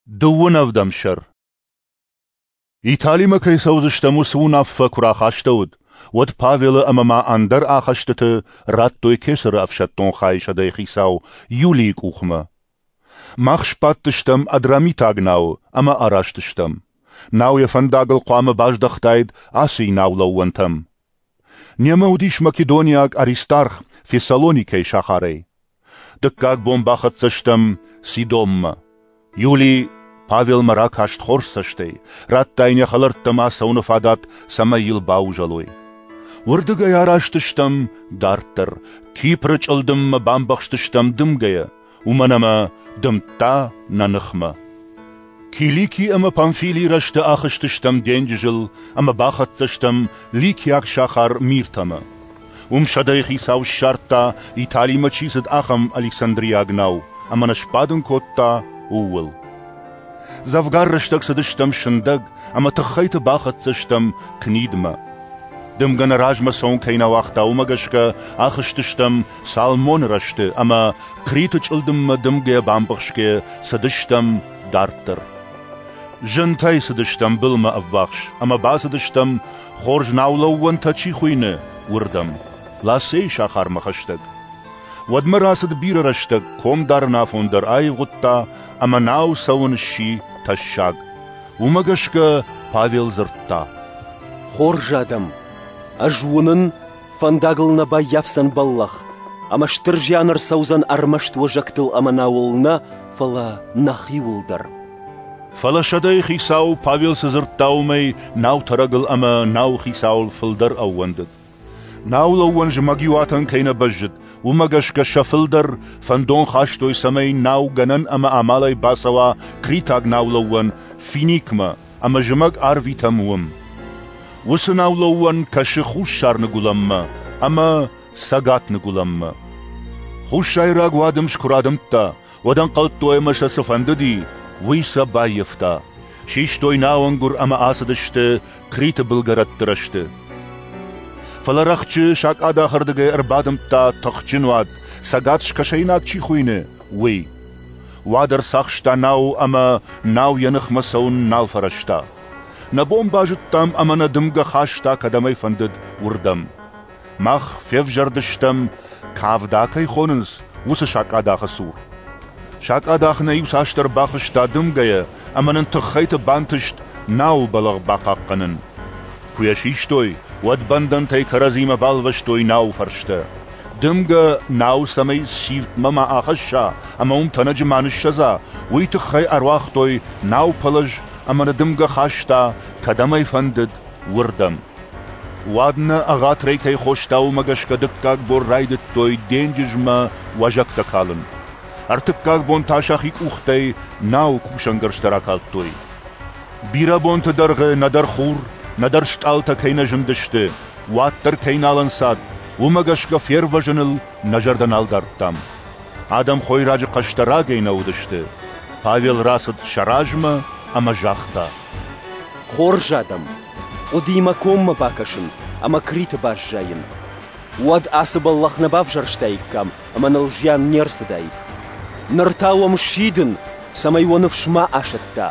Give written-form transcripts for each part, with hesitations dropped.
Дыууын ӕвдӕм сӕр. Италимӕ кӕй цӕудзыстӕм, уыцы уынаффӕ куы рахастӕуыд, уӕд Павелы ӕмӕ ма ӕндӕр ахӕстыты радтой кесӕры ӕфсӕддон хайы сӕдӕйыхицау Юлийы къухмӕ. Мах сбадтыстӕм Адрамитаг науы ӕмӕ араст стӕм. Нау йӕ фӕндагыл хъуамӕ баздӕхтаид Асийы наулӕууӕнтӕм. Немӕ уыдис македониаг Аристарх Фессалоникӕйы сахарӕй. Дыккаг бон бахӕццӕ стӕм Сидонмӕ. Юли Павелмӕ ракаст хорз цӕстӕй, радта йын йӕ хӕлӕрттӕм ацӕуыны фадат, цӕмӕй йыл баузӕлой. Уырдыгӕй араст стӕм дарддӕр, Кипры чъылдыммӕ бамбӕхстыстӕм дымгӕйӕ, уымӕн ӕмӕ дымдта нӕ ныхмӕ. Килики ӕмӕ Памфилийы рӕзты ахызтыстӕм денджызыл ӕмӕ бахӕццӕ стӕм ликиаг сахар Миртӕмӕ. Уым сӕдӕйыхицау ссардта, Италимӕ чи цыд, ахӕм александриаг нау, ӕмӕ нӕ сбадын кодта ууыл. Дзӕвгар рӕстӕг цыдыстӕм сындӕг ӕмӕ тыххӕйты бахӕццӕ стӕм Книдмӕ. Дымгӕ нӕ размӕ цӕуын кӕй нӕ уагъта, уымӕ гӕсгӕ ахызтыстӕм Салмоны рӕзты ӕмӕ Криты чъылдыммӕ дымгӕйӕ бамбӕхсгӕйӕ цыдыстӕм дарддӕр. Зынтӕй цыдыстӕм былмӕ ӕввахс ӕмӕ бацыдыстӕм, хорз наулӕууӕнтӕ чи хуыйны, уырдӕм, Ласейы сахармӕ хӕстӕг. Уӕдмӕ рацыд бирӕ рӕстӕг, ком дарын афон дӕр аивгъуыдта ӕмӕ нау цӕуын сси тӕссаг. Уымӕ гӕсгӕ Павел дзырдта: Хорз адӕм, ӕз уынын, фӕндагыл нӕ баййафдзӕн бӕллӕх, ӕмӕ стыр зиан ӕрцӕудзӕн ӕрмӕст уӕзӕгтыл ӕмӕ науыл нӕ, фӕлӕ нӕхиуыл дӕр. Фӕлӕ сӕдӕйыхицау Павел цы дзырдта, уымӕй наутӕрӕгыл ӕмӕ науыхицауыл фылдӕр ӕууӕндыд. Наулӕууӕн зымӕгиуатӕн кӕй нӕ бӕззыд, уымӕ гӕсгӕ сӕ фылдӕр фӕндон хастой, цӕмӕй нау гӕнӕн ӕмӕ амалӕй бацӕуа критаг наулӕууӕн Финикмӕ ӕмӕ зымӕг арвитӕм уым. Уыцы наулӕууӕн кӕсы хуссар-ныгуылӕнмӕ ӕмӕ цӕгат-ныгуылӕнмӕ. Хуссайраг уадымс куы радымдта, уӕд ӕнхъӕлдтой ӕмӕ сӕ цы фӕндыди, уый сӕ баййӕфта. Систой науӕнгуыр ӕмӕ ацыдысты Криты былгӕрӕтты рӕзты. Фӕлӕ рӕхджы сакъадахырдыгӕй ӕрбадымдта тыхджын уад, цӕгат-скӕсӕйнаг чи хуыйны, уый. Уад ӕрцахста нау ӕмӕ нау йӕ ныхмӕ цӕуын нал фӕрӕзта. Нӕ бон базыдтам ӕмӕ нӕ дымгӕ хаста кӕдӕм ӕй фӕндыд, уырдӕм. Мах февзӕрдыстӕм, Кавда кӕй хонынц, уыцы сакъадахы цур. Сакъадах нӕ иуцасдӕр бахызта дымгӕйӕ ӕмӕ нын тыххӕйты бантыст науы бӕлӕгъ бахъахъхъӕнын. Куы йӕ систой, уӕд бӕндӕнтӕй кӕрӕдзимӕ балвӕстой науы фӕрстӕ. Дымгӕ нау цӕмӕй сиртмӕ ма ахӕсса ӕмӕ уым тӕнӕджы ма ныссӕдза, уый тыххӕй ӕруагътой наупӕлӕз ӕмӕ нӕ дымгӕ хаста, кӕдӕм ӕй фӕндыд, уырдӕм. Уӕд нӕ ӕгъатырӕй кӕй хоста, уымӕ гӕсгӕ дыккаг бон райдыдтой денджызмӕ уӕзӕгтӕ калын. Ӕртыккаг бон та сӕхи къухтӕй науы кусӕнгӕрзтӕ ракалдтой. Бирӕ бонты дӕргъы нӕдӕр хур, нӕдӕр стъалытӕ кӕй нӕ зындысты, уӕддӕр кӕй нал ӕнцад, уымӕ гӕсгӕ фервӕзыныл нӕ зӕрдӕ нал дардтам. Адӕм хойраджы хъӕстӕ рагӕй нӕ уыдысты. Павел рацыд сӕ размӕ ӕмӕ загъта: Хорз адӕм, хъуыди мӕ коммӕ бакӕсын ӕмӕ Криты баззайын. Уӕд ацы бӕллӕх нӕ бавзӕрстаиккам ӕмӕ ныл зиан не рцыдаид. Ныр та уӕм сидын, цӕмӕй уӕ ныфс ма асӕтта.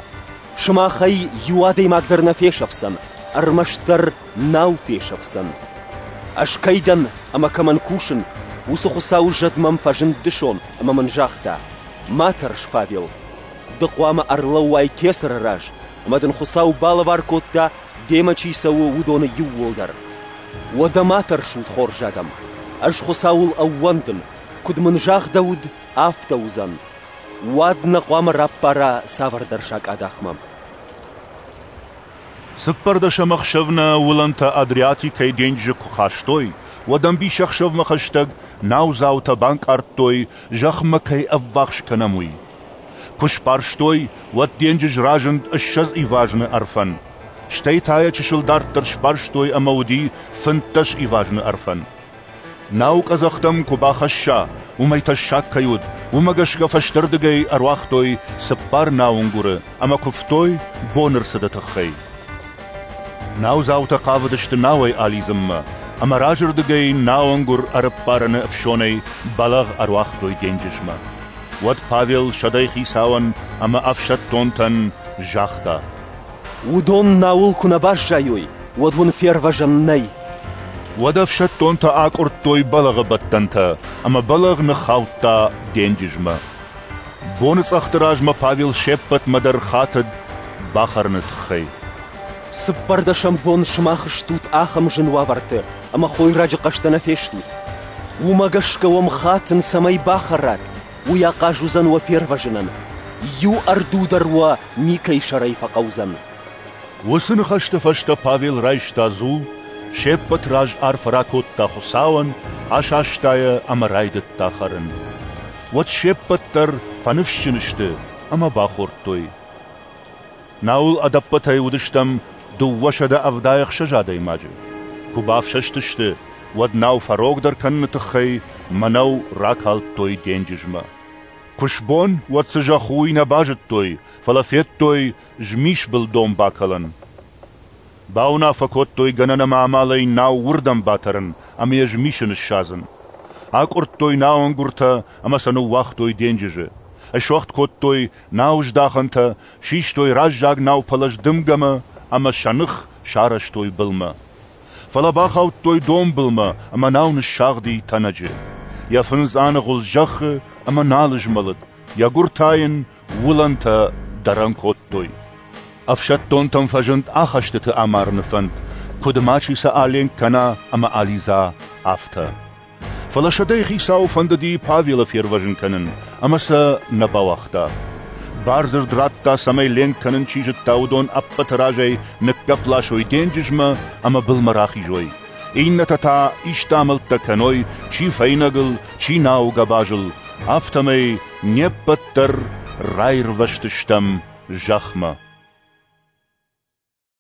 Сымахӕй иу адӕймаг дӕр нӕ фесӕфдзӕн, ӕрмӕстдӕр нау фесӕфдзӕн. Ӕз кӕй дӕн ӕмӕ кӕмӕн кусын, уыцы Хуыцауы зӕд мӕм фӕзынд дысон ӕмӕ мын загъта: «Ма тӕрс, Павел. Ды хъуамӕ ӕрлӕууай кесӕры раз, ӕмӕ дын Хуыцау балӕвар кодта, демӕ чи цӕуы, уыдоны иууылдӕр. Уӕдӕ ма тӕрсут, хорз адӕм. Ӕз Хуыцауыл ӕууӕндын, куыд мын загъдӕуыд, афтӕ уыдзӕн. Уӕд нӕ хъуамӕ раппара цавӕрдӕр сакъадахмӕ. Цыппӕрдӕсӕм ӕхсӕв нӕ уылӕнтӕ Адриатикӕйы денджызы куы хастой, уӕд ӕмбисӕхсӕвмӕ хӕстӕг наудзаутӕ банкъардтой, зӕхмӕ кӕй ӕввахс кӕнӕм, уый. Куы сбарстой, уӕд денджыз разынд 20 ивазны ӕрфӕн. Стӕй та йӕ чысыл дарддӕр сбарстой ӕмӕ уыди 15 ивазны ӕрфӕн. Нау къӕдзӕхтӕм куы бахӕсса, уымӕй тӕссаг кӕй уыд, уымӕ гӕсгӕ фӕстӕрдыгӕй ӕруагътой цыппар науӕнгуыры ӕмӕ куывтой боны рцыды тыххӕй. Наудзаутӕ хъавыдысты науӕй алидзынмӕ, ӕмӕ разырдыгӕй науӕнгуыр ӕрӕппарыны ӕфсонӕй бӕлӕгъ ӕруагътой денджызмӕ. Уӕд Павел сӕдӕйыхицауӕн ӕмӕ ӕфсӕддонтӕн загъта: Уыдон науыл куы нӕ баззайой, уӕд уын фервӕзӕн нӕй. Уӕд ӕфсӕддонтӕ акъуырдтой бӕлӕгъы бӕттӕнтӕ, ӕмӕ бӕлӕгъ ныххаудта денджызмӕ. Боныцъӕхты размӕ Павел се ппӕтмӕ дӕр хатыд бахӕрыны тыххӕй. Цыппӕрдӕсӕм бон сымах стут ахӕм зын уавӕрты, ӕмӕ хойраджы хъӕстӕ нӕ фестут. Уымӕ гӕсгӕ уӕм хатын, цӕмӕй бахӕрат, уый ахъаз уыдзӕн уӕ фервӕзынӕн. Иу ӕрду дӕр уӕ никӕй сӕрӕй фӕхъӕудзӕн. Уыцы ныхӕсты фӕстӕ Павел райста дзул, се ппӕт раз арфӕ ракодта Хуыцауӕн, асаста йӕ ӕмӕ райдыдта хӕрын. Уӕд се ппӕт дӕр фӕныфсджын сты ӕмӕ бахордтой. Науыл ӕдӕппӕтӕй уыдыстӕм 276 адӕймаджы. Куы бафсӕстысты, уӕд нау фӕрогдӕр кӕныны тыххӕй мӕнӕу ракалдтой денджызмӕ. Куы сбон, уӕд цы зӕхх у, уый нӕ базыдтой, фӕлӕ федтой змисбыл дон бакӕлӕн. Бауынаффӕ кодтой гӕнӕн ӕмӕ амалӕй нау уырдӕм батӕрын ӕмӕ йӕ змисы ныссадзын. Акъуырдтой науӕнгуыртӕ ӕмӕ сӕ ныууагътой денджызы. Суӕгъд кодтой науыздахӕнтӕ, систой раззаг наупӕлӕз дымгӕмӕ ӕмӕ сӕ ных сарӕзтой былмӕ. Фӕлӕ бахаудтой донбылмӕ ӕмӕ нау ныссагъди тӕнӕджы. Йӕ фындз аныгъуылд зӕххы ӕмӕ нал змӕлыд, йӕ гуыр та йын уылӕнтӕ дӕрӕн кодтой. Ӕфсӕддонтӕм фӕзынд ахӕстыты амарыны фӕнд, куыд мачи сӕ аленк кӕна ӕмӕ алидза, афтӕ. Фӕлӕ сӕдӕйыхицауы фӕндыди Павелы фервӕзын кӕнын, ӕмӕ сӕ нӕ бауагъта. Бардзырд радта, цӕмӕй ленк кӕнын чи зыдта, уыдон ӕппӕты разӕй ныггӕпп ласой денджызмӕ ӕмӕ былмӕ рахизой. Иннӕтӕ та исты амӕлттӕ кӕной, чи фӕйнӕгыл, чи науы гӕбазыл, афтӕмӕй не ппӕт дӕр раирвӕзтыстӕм зӕхмӕ.